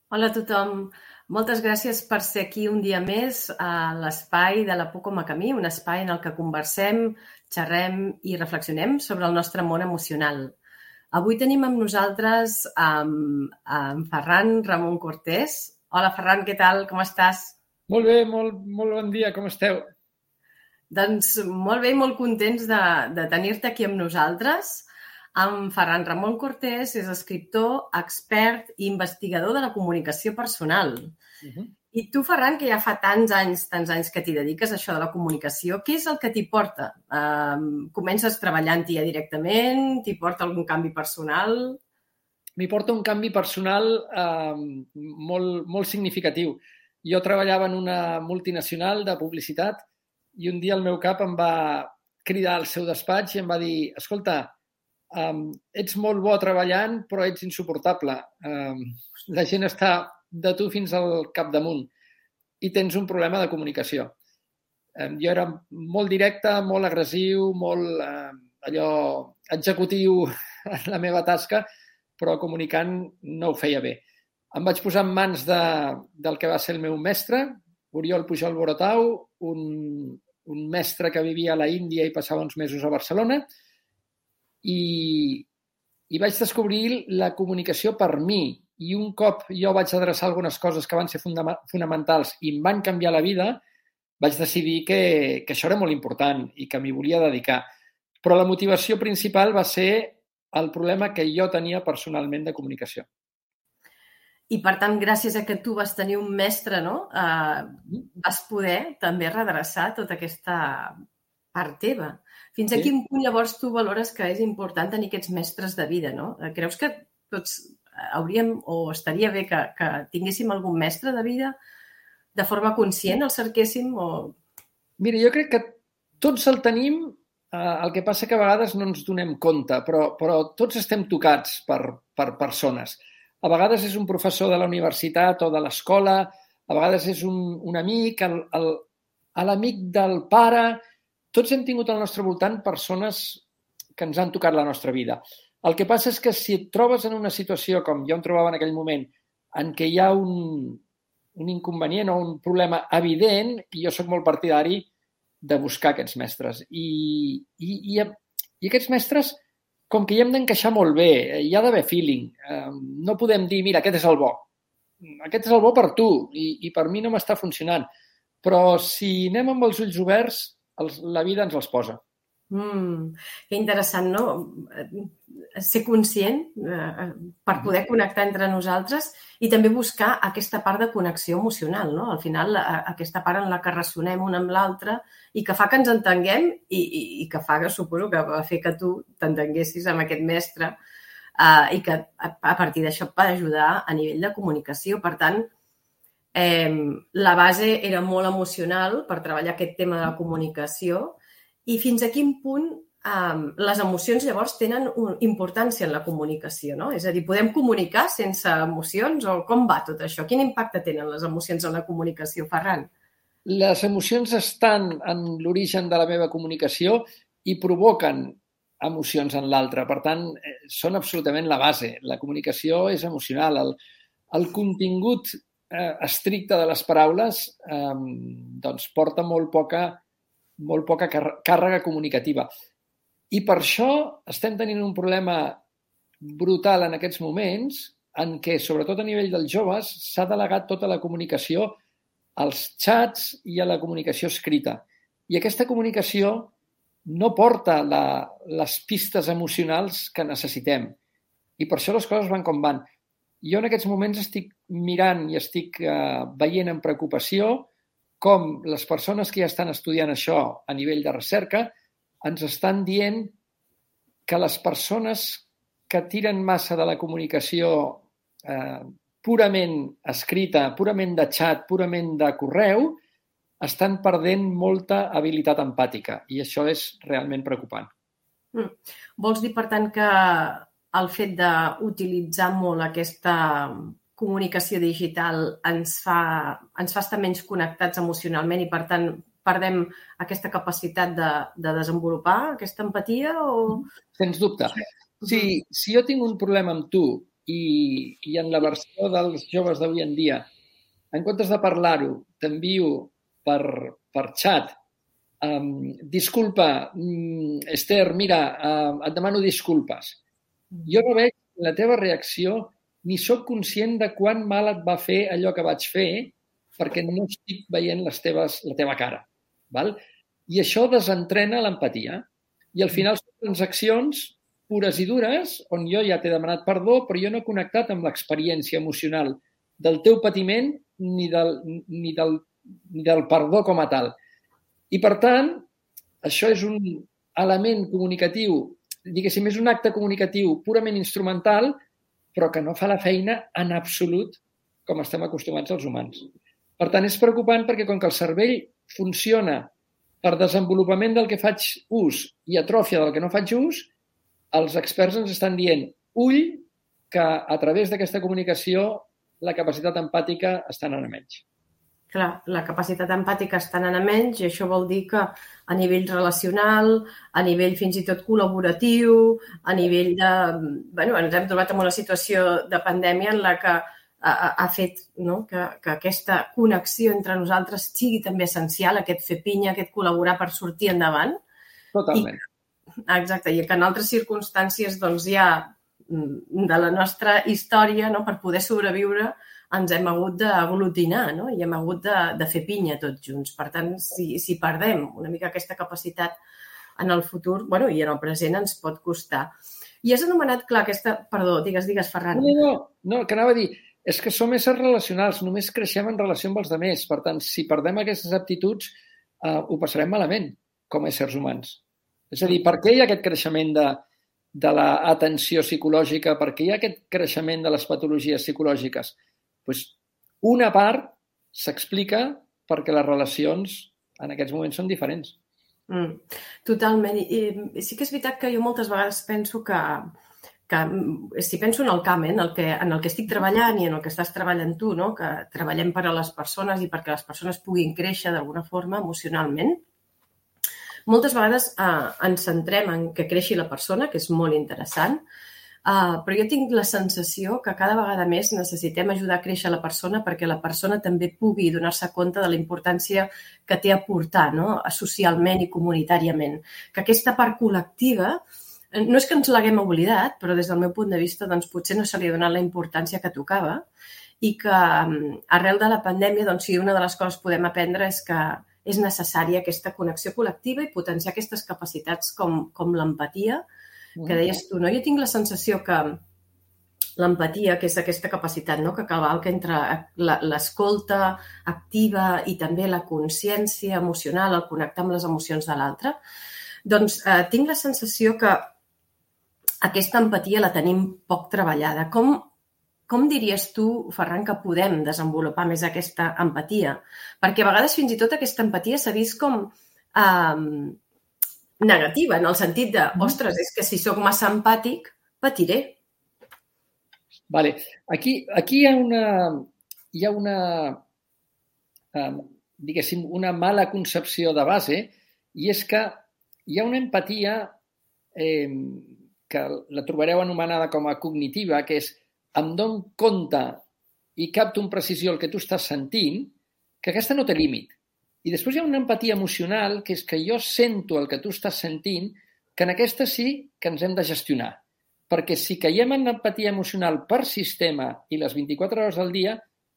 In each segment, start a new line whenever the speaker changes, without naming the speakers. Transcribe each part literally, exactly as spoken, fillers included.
Hola a tothom. Moltes gràcies per ser aquí un dia més a l'espai de la Por com a camí, un espai en el que conversem, xerrem i reflexionem sobre el nostre món emocional. Avui tenim amb nosaltres um, en Ferran Ramon Cortés. Hola, Ferran, què tal? Com estàs?
Molt bé, molt, molt bon dia, com esteu?
Doncs molt bé i molt contents de, de tenir-te aquí amb nosaltres. En Ferran Ramon Cortés és escriptor, expert i investigador de la comunicació personal. Uh-huh. I tu, Ferran, que ja fa tants anys, tants anys que t'hi dediques a això de la comunicació, què és el que t'hi porta? Uh, comences treballant-hi ja directament? T'hi porta algun canvi personal?
M'hi porta un canvi personal eh, molt, molt significatiu. Jo treballava en una multinacional de publicitat i un dia el meu cap em va cridar al seu despatx i em va dir: escolta, um, ets molt bo treballant, però ets insuportable. Um, la gent està de tu fins al capdamunt i tens un problema de comunicació. Um, jo era molt directe, molt agressiu, molt uh, allò executiu en la meva tasca, però comunicant no ho feia bé. Em vaig posar en mans de, del que va ser el meu mestre, Oriol Pujol Borotau, un, un mestre que vivia a la Índia i passava uns mesos a Barcelona, i, i vaig descobrir la comunicació per mi. I un cop jo vaig adreçar algunes coses que van ser fundament, fonamentals i em van canviar la vida, vaig decidir que, que això era molt important i que m'hi volia dedicar. Però la motivació principal va ser el problema que jo tenia personalment de comunicació.
I, per tant, gràcies a que tu vas tenir un mestre, no? Uh, vas poder també redreçar tota aquesta part teva. Fins a sí. Quin punt, llavors, tu valores que és important tenir aquests mestres de vida, no? Creus que tots hauríem o estaria bé que, que tinguéssim algun mestre de vida de forma conscient, el cerquéssim? O...
Mira, jo crec que tots el tenim, eh, el que passa que a vegades no ens donem compte, però, però tots estem tocats per, per persones. A vegades és un professor de la universitat o de l'escola, a vegades és un, un amic, el, el, l'amic del pare. Tots hem tingut al nostre voltant persones que ens han tocat la nostra vida. El que passa és que si et trobes en una situació, com jo em trobava en aquell moment, en què hi ha un, un inconvenient o un problema evident, i jo sóc molt partidari de buscar aquests mestres. I, i, i, i aquests mestres, com que hi hem d'encaixar molt bé, hi ha d'haver feeling. No podem dir, mira, aquest és el bo. Aquest és el bo per tu i, i per mi no m'està funcionant. Però si anem amb els ulls oberts, els, la vida ens els posa.
Mm, que interessant, no? Ser conscient eh, per poder connectar entre nosaltres i també buscar aquesta part de connexió emocional, no? Al final, aquesta part en la que ressonem un amb l'altre i que fa que ens entenguem i, i, i que fa, que suposo, que va fer que tu t'entenguessis amb aquest mestre eh, i que a, a partir d'això et va ajudar a nivell de comunicació. Per tant, eh, la base era molt emocional per treballar aquest tema de la comunicació. I fins a quin punt um, les emocions llavors tenen un, importància en la comunicació, no? És a dir, podem comunicar sense emocions o com va tot això? Quin impacte tenen les emocions en la comunicació, Ferran?
Les emocions estan en l'origen de la meva comunicació i provoquen emocions en l'altre. Per tant, són absolutament la base. La comunicació és emocional. El, el contingut eh, estricte de les paraules eh, doncs porta molt poca molt poca càrrega comunicativa. I per això estem tenint un problema brutal en aquests moments en què, sobretot a nivell dels joves, s'ha delegat tota la comunicació als xats i a la comunicació escrita. I aquesta comunicació no porta la, les pistes emocionals que necessitem. I per això les coses van com van. Jo en aquests moments estic mirant i estic eh, veient amb preocupació com les persones que ja estan estudiant això a nivell de recerca ens estan dient que les persones que tiren massa de la comunicació eh, purament escrita, purament de xat, purament de correu, estan perdent molta habilitat empàtica i això és realment preocupant.
Mm. Vols dir, per tant, que el fet d'utilitzar molt aquesta comunicació digital ens fa, ens fa estar menys connectats emocionalment i, per tant, perdem aquesta capacitat de, de desenvolupar aquesta empatia? O...
Sens dubte. Si, si jo tinc un problema amb tu i, i en la versió dels joves d'avui en dia, en comptes de parlar-ho, t'envio per, per xat, um, disculpa, um, Esther, mira, uh, et demano disculpes. Jo no veig la teva reacció ni sóc conscient de quant mal et va fer allò que vaig fer perquè no estic veient les teves, la teva cara. Val? I això desentrena l'empatia. I al final són transaccions pures i dures on jo ja t'he demanat perdó, però jo no he connectat amb l'experiència emocional del teu patiment ni del, ni del, ni del perdó com a tal. I, per tant, això és un element comunicatiu, diguéssim, és un acte comunicatiu purament instrumental, però que no fa la feina en absolut com estem acostumats els humans. Per tant, és preocupant perquè com que el cervell funciona per desenvolupament del que faig ús i atròfia del que no faig ús, els experts ens estan dient, ull, que a través d'aquesta comunicació la capacitat empàtica està anant a menys.
Clar, la capacitat empàtica està anant a menys i això vol dir que a nivell relacional, a nivell fins i tot col·laboratiu, a nivell de... Bueno, ens hem trobat en una situació de pandèmia en la que ha, ha fet, no, que, que aquesta connexió entre nosaltres sigui també essencial, aquest fer pinya, aquest col·laborar per sortir endavant.
Totalment.
I, exacte, i que en altres circumstàncies doncs, ja de la nostra història, no, per poder sobreviure, ens hem hagut d'aglutinar, no? I hem hagut de, de fer pinya tots junts. Per tant, si, si perdem una mica aquesta capacitat en el futur, bueno, i en el present ens pot costar. I has anomenat, clar, aquesta... Perdó, digues, digues, Ferran.
No, no, no, que anava a dir, és que som éssers relacionals, només creixem en relació amb els altres. Per tant, si perdem aquestes aptituds, eh, ho passarem malament com a éssers humans. És a dir, per què hi ha aquest creixement de, de l'atenció psicològica? Per què hi ha aquest creixement de les patologies psicològiques? Pues una part s'explica perquè les relacions en aquests moments són diferents.
Mm, totalment. I, I sí que és veritat que jo moltes vegades penso que, que si penso en el camp, eh, en, el que, en el que estic treballant i en el que estàs treballant tu, no? Que treballem per a les persones i perquè les persones puguin créixer d'alguna forma emocionalment, moltes vegades eh, ens centrem en que creixi la persona, que és molt interessant, Uh, però jo tinc la sensació que cada vegada més necessitem ajudar a créixer la persona perquè la persona també pugui donar-se compte de la importància que té a portar, no? Socialment i comunitàriament. Que aquesta part col·lectiva, no és que ens l'haguem oblidat, però des del meu punt de vista doncs, potser no se li ha donat la importància que tocava i que arrel de la pandèmia, doncs, sí, una de les coses que podem aprendre és que és necessària aquesta connexió col·lectiva i potenciar aquestes capacitats com, com l'empatia, que deies tu, no? Jo tinc la sensació que l'empatia, que és aquesta capacitat, no? Que cavalca entre l'escolta activa i també la consciència emocional, el connectar amb les emocions de l'altre, doncs eh, tinc la sensació que aquesta empatia la tenim poc treballada. Com, com diries tu, Ferran, que podem desenvolupar més aquesta empatia? Perquè a vegades fins i tot aquesta empatia s'ha vist com... Eh, negativa, en el sentit de, ostres, és que si sóc massa empàtic, patiré.
Vale. Aquí, aquí hi ha una, hi ha una um, diguéssim, una mala concepció de base i és que hi ha una empatia eh, que la trobareu anomenada com a cognitiva, que és em dono compte i capto amb precisió el que tu estàs sentint, que aquesta no té límit. I després hi ha una empatia emocional, que és que jo sento el que tu estàs sentint, que en aquesta sí que ens hem de gestionar. Perquè si caiem en empatia emocional per sistema i les vint-i-quatre hores al dia,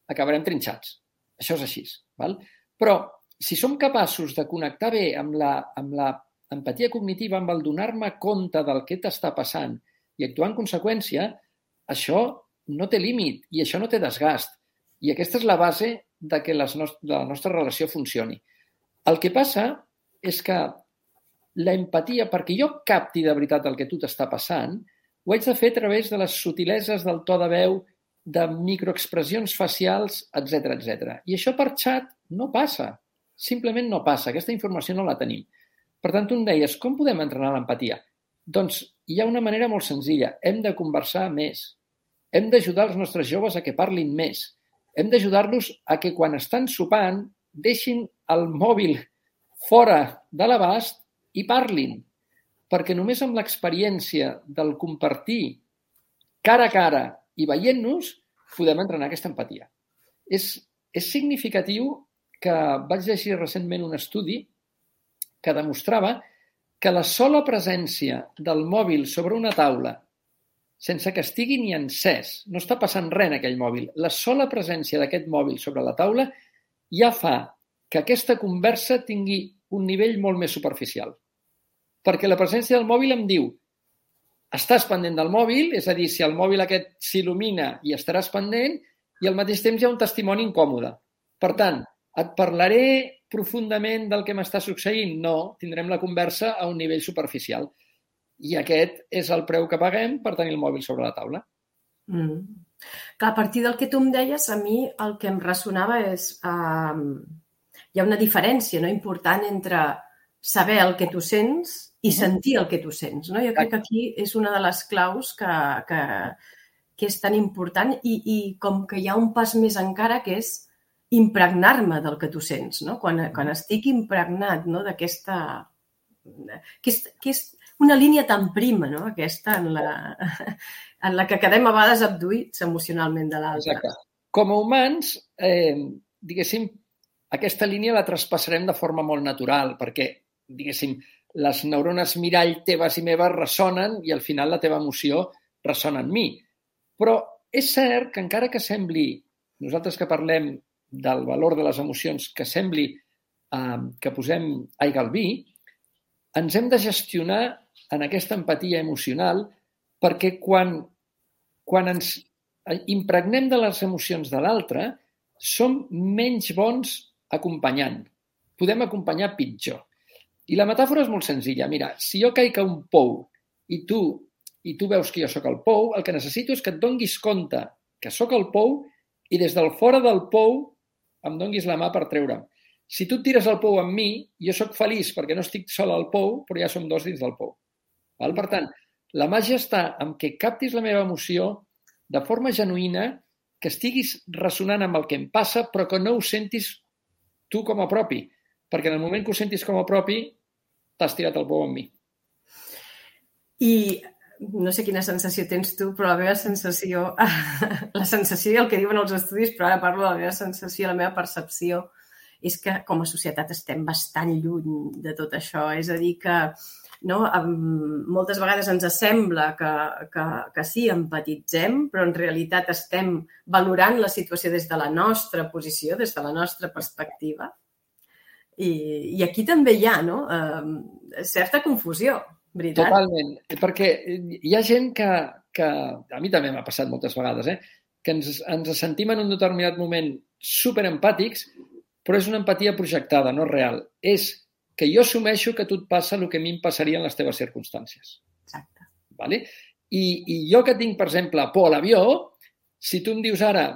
acabarem trinxats. Això és així. Val? Però si som capaços de connectar bé amb la, amb la empatia cognitiva, amb el donar-me compte del que t'està passant i actuar en conseqüència, això no té límit i això no té desgast. I aquesta és la base de que les nost- de la nostra relació funcioni. El que passa és que la empatia, perquè jo capti de veritat el que tu t'està passant, ho haig de fer a través de les subtileses del to de veu, de microexpressions facials, etcètera, etcètera. I això per xat no passa. Simplement no passa. Aquesta informació no la tenim. Per tant, tu em deies, com podem entrenar l'empatia? Doncs hi ha una manera molt senzilla. Hem de conversar més. Hem d'ajudar els nostres joves a que parlin més. Hem d'ajudar-los a que quan estan sopant deixin el mòbil fora de l'abast i parlin. Perquè només amb l'experiència del compartir cara a cara i veient-nos podem entrenar aquesta empatia. És, és significatiu que vaig llegir recentment un estudi que demostrava que la sola presència del mòbil sobre una taula, sense que estigui ni encès, no està passant res en aquell mòbil, la sola presència d'aquest mòbil sobre la taula ja fa que aquesta conversa tingui un nivell molt més superficial. Perquè la presència del mòbil em diu estàs pendent del mòbil, és a dir, si el mòbil aquest s'il·lumina i estaràs pendent, i al mateix temps hi ha un testimoni incòmode. Per tant, et parlaré profundament del que m'està succeint? No, tindrem la conversa a un nivell superficial. I aquest és el preu que paguem per tenir el mòbil sobre la taula.
Mm. Clar, a partir del que tu em deies, a mi el que em ressonava és... Uh, hi ha una diferència, no?, important entre saber el que tu sents i sentir el que tu sents, no? Jo crec que aquí és una de les claus que, que, que és tan important i, i com que hi ha un pas més encara que és impregnar-me del que tu sents, no? Quan, quan estic impregnat, no?, d'aquesta... Que és, que és una línia tan prima, no?, aquesta en la, en la que quedem a vegades abduïts emocionalment de l'altre.
Exacte. Com a humans, eh, diguéssim, aquesta línia la traspassarem de forma molt natural, perquè, diguéssim, les neurones mirall teves i meves ressonen i al final la teva emoció ressona en mi. Però és cert que encara que sembli, nosaltres que parlem del valor de les emocions, que sembli eh, que posem aigua al vi, ens hem de gestionar en aquesta empatia emocional perquè quan, quan ens impregnem de les emocions de l'altre, som menys bons acompanyant. Podem acompanyar pitjor. I la metàfora és molt senzilla. Mira, si jo caic a un pou i tu, i tu veus que jo sóc el pou, el que necessito és que et donguis compte que sóc el pou i des del fora del pou em donguis la mà per treure'm. Si tu et tires al pou amb mi, jo sóc feliç perquè no estic sol al pou, però ja som dos dins del pou. Val? Per tant, la màgia està en que captis la meva emoció de forma genuïna, que estiguis ressonant amb el que em passa, però que no ho sentis tu com a propi. Perquè en el moment que ho sentis com a propi, t'has tirat el pou amb mi.
I no sé quina sensació tens tu, però la meva sensació, la sensació i el que diuen els estudis, però ara parlo de la meva sensació, la meva percepció, és que com a societat estem bastant lluny de tot això. És a dir, que no, moltes vegades ens sembla que, que, que sí, empatitzem, però en realitat estem valorant la situació des de la nostra posició, des de la nostra perspectiva. I, i aquí també hi ha, no?, eh, certa confusió, veritat?
Totalment, perquè hi ha gent que, que a mi també m'ha passat moltes vegades, eh, que ens, ens sentim en un determinat moment superempàtics, però és una empatia projectada, no real. És que jo assumeixo que a tu et passa el que a mi em passaria en les teves circumstàncies.
Exacte.
Vale? I, I jo que tinc, per exemple, por a l'avió, si tu em dius ara,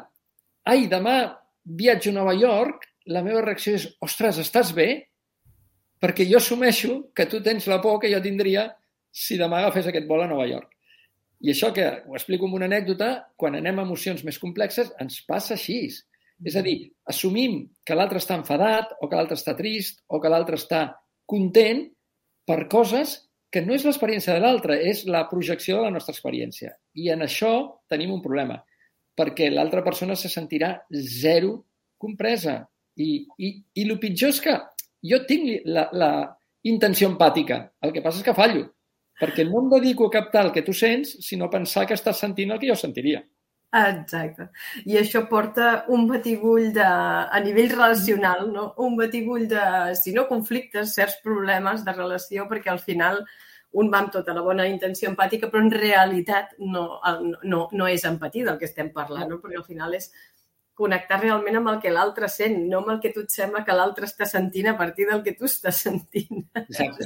ai, demà viatjo a Nova York, la meva reacció és, ostres, estàs bé? Perquè jo assumeixo que tu tens la por que jo tindria si demà agafés aquest vol a Nova York. I això, que ho explico amb una anècdota, quan anem a emocions més complexes, ens passa així. És a dir, assumim que l'altre està enfadat o que l'altre està trist o que l'altre està content per coses que no és l'experiència de l'altre, és la projecció de la nostra experiència. I en això tenim un problema, perquè l'altra persona se sentirà zero compresa. I, i, i el pitjor és que jo tinc la, la intenció empàtica, el que passa és que fallo, perquè no em dedico a captar el que tu sents, sinó a pensar que estàs sentint el que jo sentiria.
Exacte. I això porta un batibull de, a nivell relacional, no? Un batibull de, si no conflictes, certs problemes de relació, perquè al final un va amb tota la bona intenció empàtica, però en realitat no, no, no és empatia del que estem parlant, no? Perquè al final és connectar realment amb el que l'altre sent, no amb el que tu et sembla que l'altre està sentint a partir del que tu estàs sentint.
Exacte.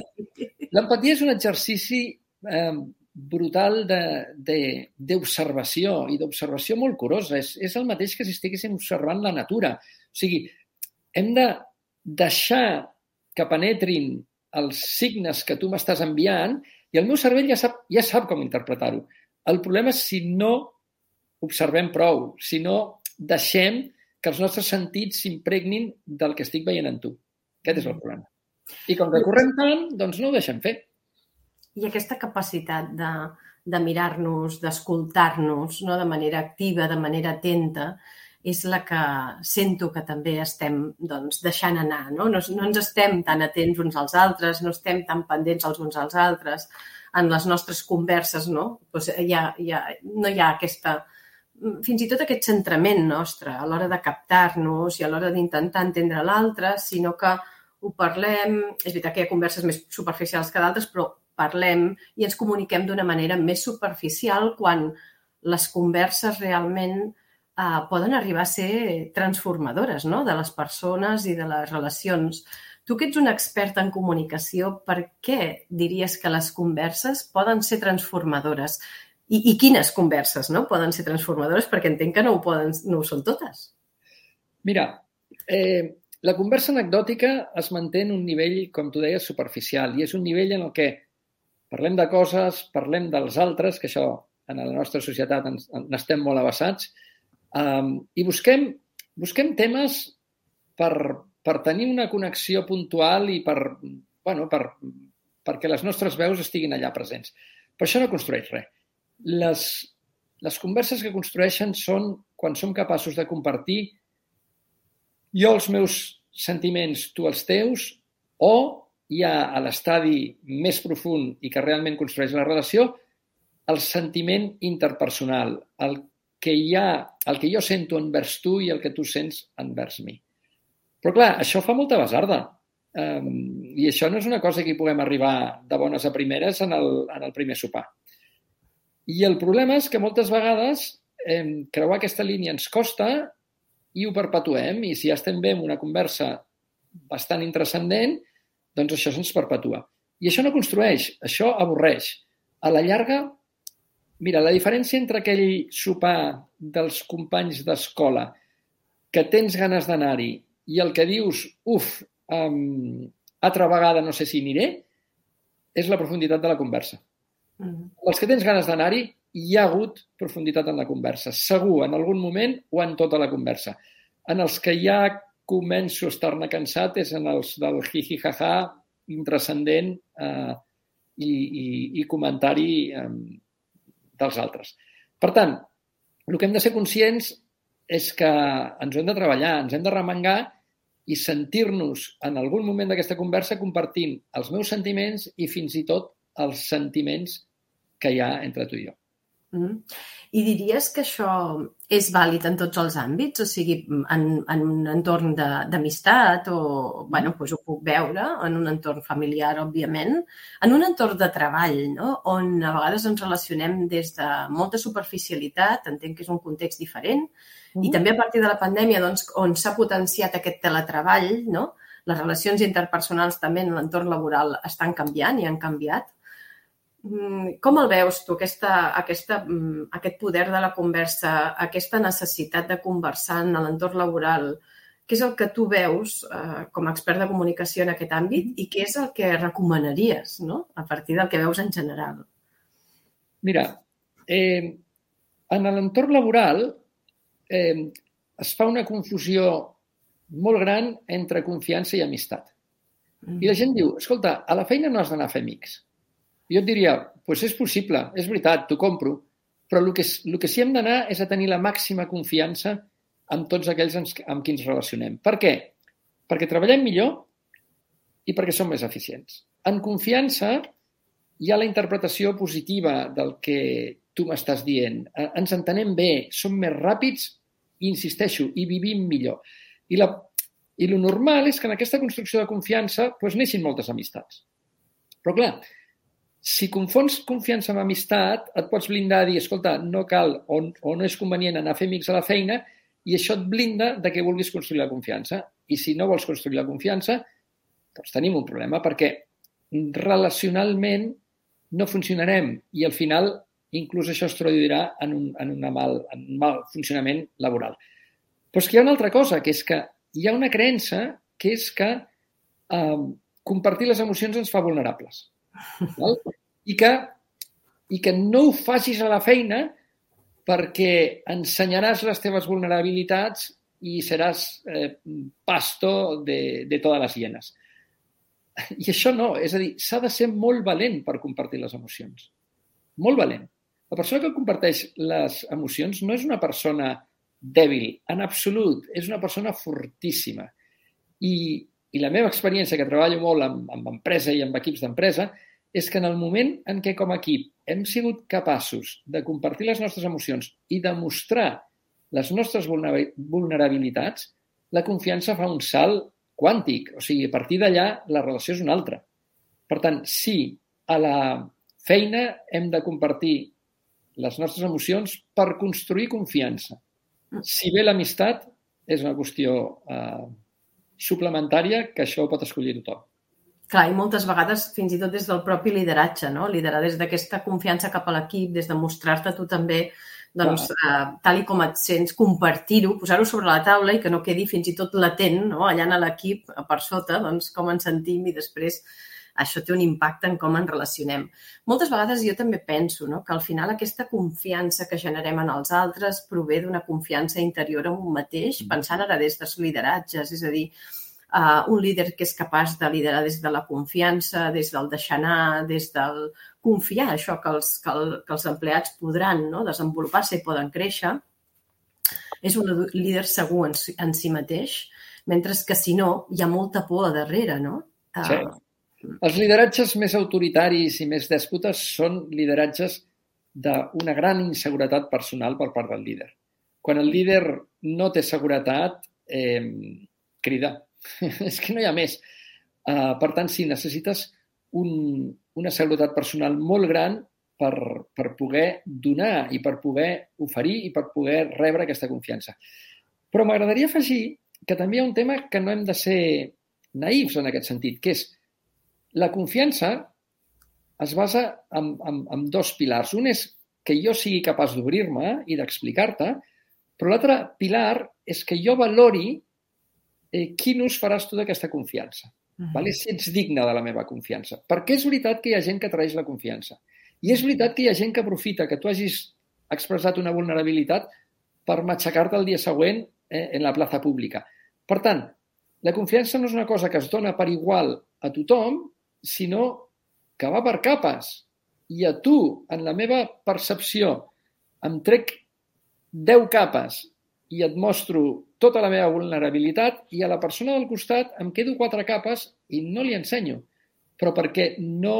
L'empatia és un exercici eh, brutal d'observació i d'observació molt curosa. És, és el mateix que si estiguéssim observant la natura. O sigui, hem de deixar que penetrin els signes que tu m'estàs enviant i el meu cervell ja sap, ja sap com interpretar-ho. El problema és si no observem prou, si no deixem que els nostres sentits s'impregnin del que estic veient en tu. Aquest és el problema. I com que correm tant, doncs no ho deixem fer.
I aquesta capacitat de, de mirar-nos, d'escoltar-nos, no? De manera activa, de manera atenta, és la que sento que també estem doncs, deixant anar. No? No, no ens estem tan atents uns als altres, no estem tan pendents els uns als altres. En les nostres converses no, doncs hi ha, hi ha, no hi ha aquesta, fins i tot aquest centrament nostre a l'hora de captar-nos i a l'hora d'intentar entendre l'altre, sinó que ho parlem, és veritat que hi ha converses més superficials que d'altres, però parlem i ens comuniquem d'una manera més superficial quan les converses realment eh, poden arribar a ser transformadores, no? De les persones i de les relacions. Tu que ets un expert en comunicació, per què diries que les converses poden ser transformadores? I, i quines converses no? Poden ser transformadores? Perquè entenc que no ho, poden, no ho són totes.
Mira, eh, la conversa anecdòtica es manté en un nivell, com tu deies, superficial. I és un nivell en el que parlem de coses, parlem dels altres, que això en la nostra societat n'estem molt abassats, um, i busquem, busquem temes per, per tenir una connexió puntual i per, bueno, per, perquè les nostres veus estiguin allà presents. Però això no construeix res. Les, les converses que construeixen són quan som capaços de compartir jo els meus sentiments, tu els teus, o hi ha a l'estadi més profund i que realment construeix la relació el sentiment interpersonal, el que, hi ha, el que jo sento envers tu i el que tu sents envers mi. Però clar, això fa molta basarda. Um, I això no és una cosa que hi puguem arribar de bones a primeres en el, en el primer sopar. I el problema és que moltes vegades eh, creuar aquesta línia ens costa i ho perpetuem. I si ja estem bé en una conversa bastant intrascendent, doncs això se'ns perpetua. I això no construeix, això avorreix. A la llarga, mira, la diferència entre aquell sopar dels companys d'escola que tens ganes d'anar-hi i el que dius, uf, um, altra vegada no sé si aniré, és la profunditat de la conversa. Mm. Els que tens ganes d'anar-hi, hi ha hagut profunditat en la conversa. Segur, en algun moment o en tota la conversa. En els que ja començo a estar-ne cansat és en els del hi-hi-ha-ha intrascendent eh, i, i, i comentari eh, dels altres. Per tant, el que hem de ser conscients és que ens ho hem de treballar, ens hem de remengar i sentir-nos en algun moment d'aquesta conversa compartint els meus sentiments i fins i tot els sentiments que hi ha entre tu i jo.
Mm. I diries que això és vàlid en tots els àmbits? O sigui, en, en un entorn d'amistat o, bueno, doncs ho puc veure, en un entorn familiar, òbviament, en un entorn de treball, no? On a vegades ens relacionem des de molta superficialitat, entenc que és un context diferent, mm. i també a partir de la pandèmia, doncs, on s'ha potenciat aquest teletreball, no? Les relacions interpersonals també en l'entorn laboral estan canviant i han canviat. Com el veus tu, aquesta, aquesta, aquest poder de la conversa, aquesta necessitat de conversar en l'entorn laboral? Què és el que tu veus eh, com a expert de comunicació en aquest àmbit i què és el que recomanaries, no? A partir del que veus en general?
Mira, eh, en l'entorn laboral eh, es fa una confusió molt gran entre confiança i amistat. Mm. I la gent diu, escolta, a la feina no has d'anar a fer amics. Jo et diria, doncs és possible, és veritat, t'ho compro, però el que, el que sí hem d'anar és a tenir la màxima confiança amb tots aquells amb qui ens relacionem. Per què? Perquè treballem millor i perquè som més eficients. En confiança hi ha la interpretació positiva del que tu m'estàs dient. Ens entenem bé, som més ràpids i, insisteixo, i vivim millor. I, la, i lo normal és que en aquesta construcció de confiança doncs, neixin moltes amistats. Però clar, si confons confiança amb amistat, et pots blindar a dir, escolta, no cal o, o no és convenient anar a fer amics a la feina i això et blinda de que vulguis construir la confiança. I si no vols construir la confiança, doncs tenim un problema perquè relacionalment no funcionarem i al final inclús això es traduirà en un, en una mal, en un mal funcionament laboral. Però és que hi ha una altra cosa, que és que hi ha una creença que és que eh, compartir les emocions ens fa vulnerables. Val? I que, i que no ho facis a la feina perquè ensenyaràs les teves vulnerabilitats i seràs eh, pasto de, de totes les hienes. I això no, és a dir, s'ha de ser molt valent per compartir les emocions. molt valent. La persona que comparteix les emocions no és una persona dèbil, en absolut. És una persona fortíssima. I, i la meva experiència, que treballo molt amb, amb empresa i amb equips d'empresa, és que en el moment en què com a equip hem sigut capaços de compartir les nostres emocions i de mostrar les nostres vulnerabilitats, la confiança fa un salt quàntic. O sigui, a partir d'allà la relació és una altra. Per tant, sí, a la feina hem de compartir les nostres emocions per construir confiança. Si bé l'amistat és una qüestió eh, suplementària, que això ho pot escollir tothom.
Clar, i moltes vegades fins i tot des del propi lideratge, no? Liderar des d'aquesta confiança cap a l'equip, des de mostrar-te tu també, doncs, eh, tal i com et sents, compartir-ho, posar-ho sobre la taula i que no quedi fins i tot latent, no? Allà a l'equip, per sota, doncs, com ens sentim i després això té un impacte en com ens relacionem. Moltes vegades jo també penso, no?, que al final aquesta confiança que generem en els altres prové d'una confiança interior en un mateix, pensant ara des dels lideratges, és a dir, Uh, un líder que és capaç de liderar des de la confiança, des del deixar anar, des del confiar, això que els, que el, que els empleats podran, no?, desenvolupar-se i poden créixer, és un líder segur en, en si mateix, mentre que si no, hi ha molta por a darrere, no? Uh...
Sí. Els lideratges més autoritaris i més dèspotes són lideratges d'una gran inseguretat personal per part del líder. Quan el líder no té seguretat, eh, crida. És que no hi ha més. Uh, per tant, sí, necessites un, una seguretat personal molt gran per, per poder donar i per poder oferir i per poder rebre aquesta confiança. Però m'agradaria afegir que també hi ha un tema que no hem de ser naïfs en aquest sentit, que és la confiança es basa en, en, en dos pilars. Un és que jo sigui capaç d'obrir-me i d'explicar-te, però l'altre pilar és que jo valori Eh, quin ús faràs tu d'aquesta confiança? Uh-huh. Vale? Si ets digne de la meva confiança. Perquè és veritat que hi ha gent que traeix la confiança. I és veritat que hi ha gent que aprofita que tu hagis expressat una vulnerabilitat per matxacar-te el dia següent eh, en la plaça pública. Per tant, la confiança no és una cosa que es dona per igual a tothom, sinó que va per capes. I a tu, en la meva percepció, em trec deu capes i et mostro tota la meva vulnerabilitat i a la persona del costat em quedo quatre capes i no li ensenyo, però perquè no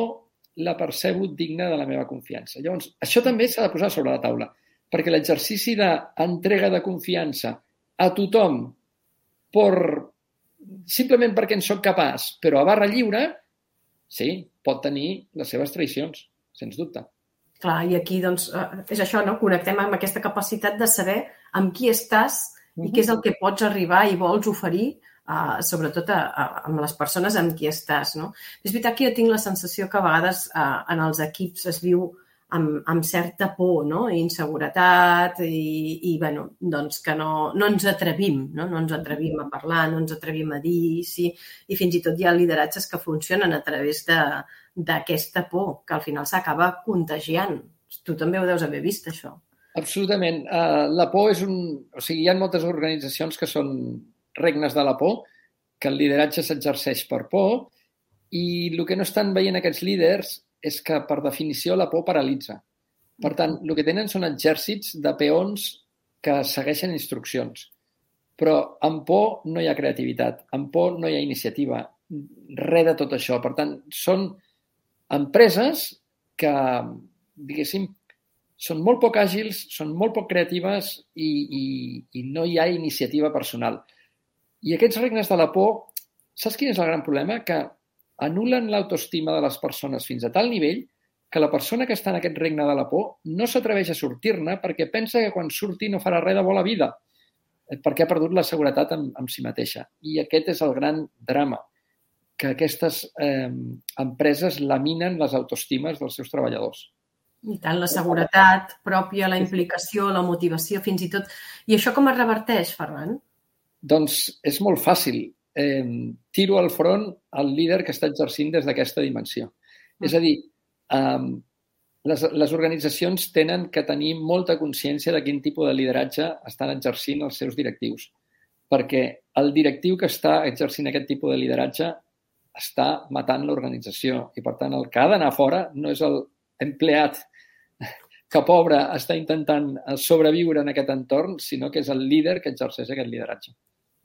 la percebo digna de la meva confiança. Llavors, això també s'ha de posar sobre la taula, perquè l'exercici d'entrega de confiança a tothom per, simplement perquè en soc capaç, però a barra lliure, sí, pot tenir les seves traïcions, sens dubte.
Clar, i aquí doncs, és això, no? Connectem amb aquesta capacitat de saber amb qui estàs i què és el que pots arribar i vols oferir, uh, sobretot a, a, amb les persones amb qui estàs, no? És veritat que jo tinc la sensació que a vegades uh, en els equips es viu amb, amb certa por, no? I inseguretat i, i bueno, doncs que no, no ens atrevim, no? No ens atrevim a parlar, no ens atrevim a dir, sí, i fins i tot hi ha lideratges que funcionen a través de d'aquesta por, que al final s'acaba contagiant. Tu també ho deus haver vist, això.
Absolutament. Uh, la por és un... O sigui, hi ha moltes organitzacions que són regnes de la por, que el lideratge s'exerceix per por, i el que no estan veient aquests líders és que, per definició, la por paralitza. Per tant, el que tenen són exèrcits de peons que segueixen instruccions. Però amb por no hi ha creativitat, amb por no hi ha iniciativa, res de tot això. Per tant, són empreses que, diguéssim, són molt poc àgils, són molt poc creatives i, i, i no hi ha iniciativa personal. I aquests regnes de la por, saps quin és el gran problema? Que anulen l'autoestima de les persones fins a tal nivell que la persona que està en aquest regne de la por no s'atreveix a sortir-ne perquè pensa que quan surti no farà res de bona vida, perquè ha perdut la seguretat en, en si mateixa. I aquest és el gran drama, que aquestes eh, empreses laminen les autoestimes dels seus treballadors.
I tant, la seguretat pròpia, la implicació, la motivació, fins i tot. I això com es reverteix, Ferran?
Doncs és molt fàcil. Eh, tiro al front el líder que està exercint des d'aquesta dimensió. Mm. És a dir, eh, les, les organitzacions tenen que tenir molta consciència de quin tipus de lideratge estan exercint els seus directius. Perquè el directiu que està exercint aquest tipus de lideratge està matant l'organització i, per tant, el que ha d'anar fora no és l'empleat que pobre està intentant sobreviure en aquest entorn, sinó que és el líder que exerceix aquest lideratge.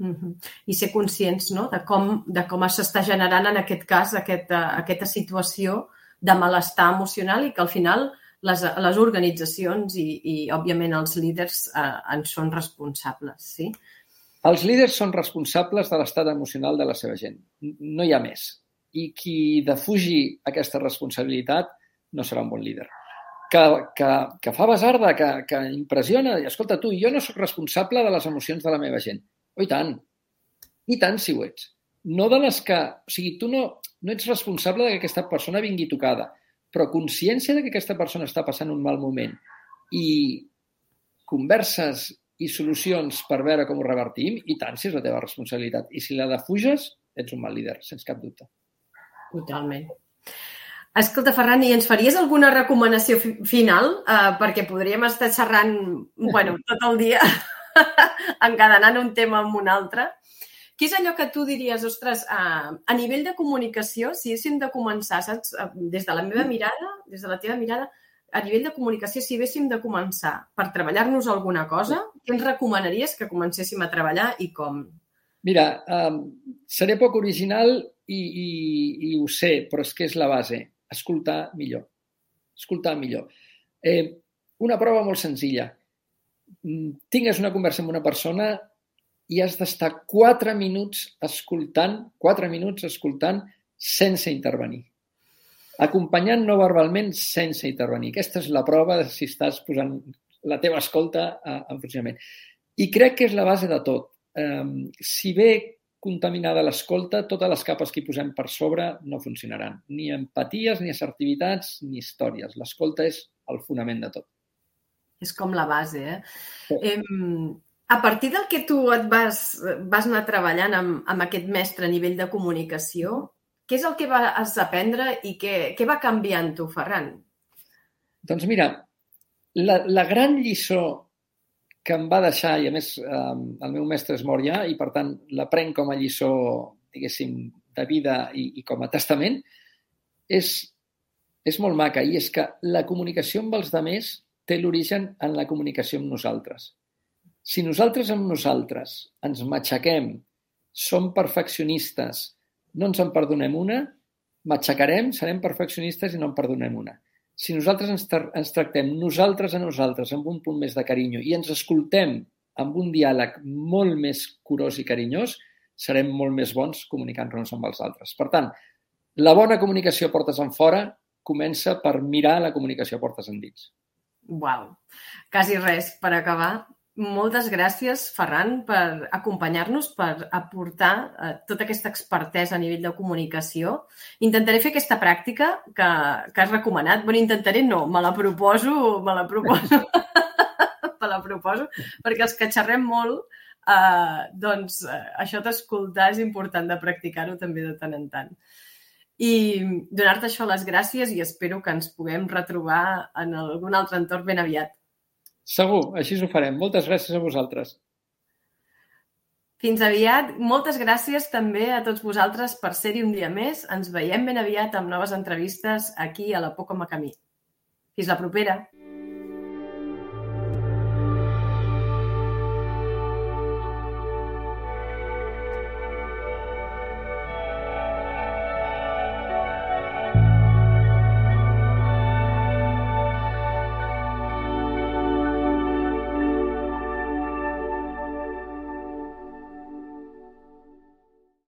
Uh-huh. I ser conscients, no?, de com, de com s'està generant en aquest cas aquesta, aquesta situació de malestar emocional i que al final les, les organitzacions i, i òbviament els líders eh, en són responsables, sí?
Els líders són responsables de l'estat emocional de la seva gent. No hi ha més. I qui defugi aquesta responsabilitat no serà un bon líder. Que, que, que fa basarda, que, que impressiona. I, escolta, tu, jo no sóc responsable de les emocions de la meva gent. Oh, i tant. I tant si ho ets. No de les que... O sigui, tu no, no ets responsable de que aquesta persona vingui tocada, però consciència de que aquesta persona està passant un mal moment i converses i solucions per veure com ho revertim, i tant si és la teva responsabilitat. I si la defuges, ets un mal líder, sense cap dubte.
Totalment. Escolta, Ferran, i ens faries alguna recomanació fi- final? Uh, perquè podríem estar xerrant, bueno, tot el dia, encadenant un tema amb un altre. Què és allò que tu diries, ostres, uh, a nivell de comunicació, si haguéssim de començar, saps, uh, des de la meva mirada, des de la teva mirada, a nivell de comunicació, si haguéssim de començar per treballar-nos alguna cosa, què ens recomanaries que comencéssim a treballar i com?
Mira, um, seré poc original i, i, i ho sé, però és que és la base. Escoltar millor. Escoltar millor. Eh, una prova molt senzilla. Tingues una conversa amb una persona i has d'estar quatre minuts escoltant, quatre minuts escoltant sense intervenir. Acompanyant no verbalment sense intervenir. Aquesta és la prova de si estàs posant la teva escolta en funcionament. I crec que és la base de tot. Um, si ve contaminada l'escolta, totes les capes que hi posem per sobre no funcionaran. Ni empaties, ni assertivitats, ni històries. L'escolta és el fonament de tot.
És com la base, eh? Sí. Eh, a partir del que tu et vas, vas anar treballant amb, amb aquest mestre a nivell de comunicació, què és el que vas aprendre i què, què va canviar en tu, Ferran?
Doncs mira, la, la gran lliçó que em va deixar, i a més eh, el meu mestre és mort ja, i per tant la prenc com a lliçó, diguéssim, de vida i, i com a testament, és, és molt maca, i és que la comunicació amb els altres té l'origen en la comunicació amb nosaltres. Si nosaltres amb nosaltres ens matxaquem, som perfeccionistes, no ens en perdonem una, matxacarem, serem perfeccionistes i no en perdonem una. Si nosaltres ens, tra- ens tractem nosaltres a nosaltres amb un punt més de carinyo i ens escoltem amb un diàleg molt més curós i carinyós, serem molt més bons comunicant-nos amb els altres. Per tant, la bona comunicació portes en fora comença per mirar la comunicació portes endins.
Uau, quasi res per acabar. Moltes gràcies, Ferran, per acompanyar-nos, per aportar eh, tota aquesta expertesa a nivell de comunicació. Intentaré fer aquesta pràctica que, que has recomanat. Bueno, intentaré no, me la proposo, me la proposo, me la proposo, perquè els que xerrem molt, eh, doncs eh, això d'escoltar és important de practicar-ho també de tant en tant. I donar-te això les gràcies i espero que ens puguem retrobar en algun altre entorn ben aviat.
Segur, així ho farem. Moltes gràcies a vosaltres.
Fins aviat. Moltes gràcies també a tots vosaltres per ser-hi un dia més. Ens veiem ben aviat amb noves entrevistes aquí a la Poc com a Camí. Fins la propera.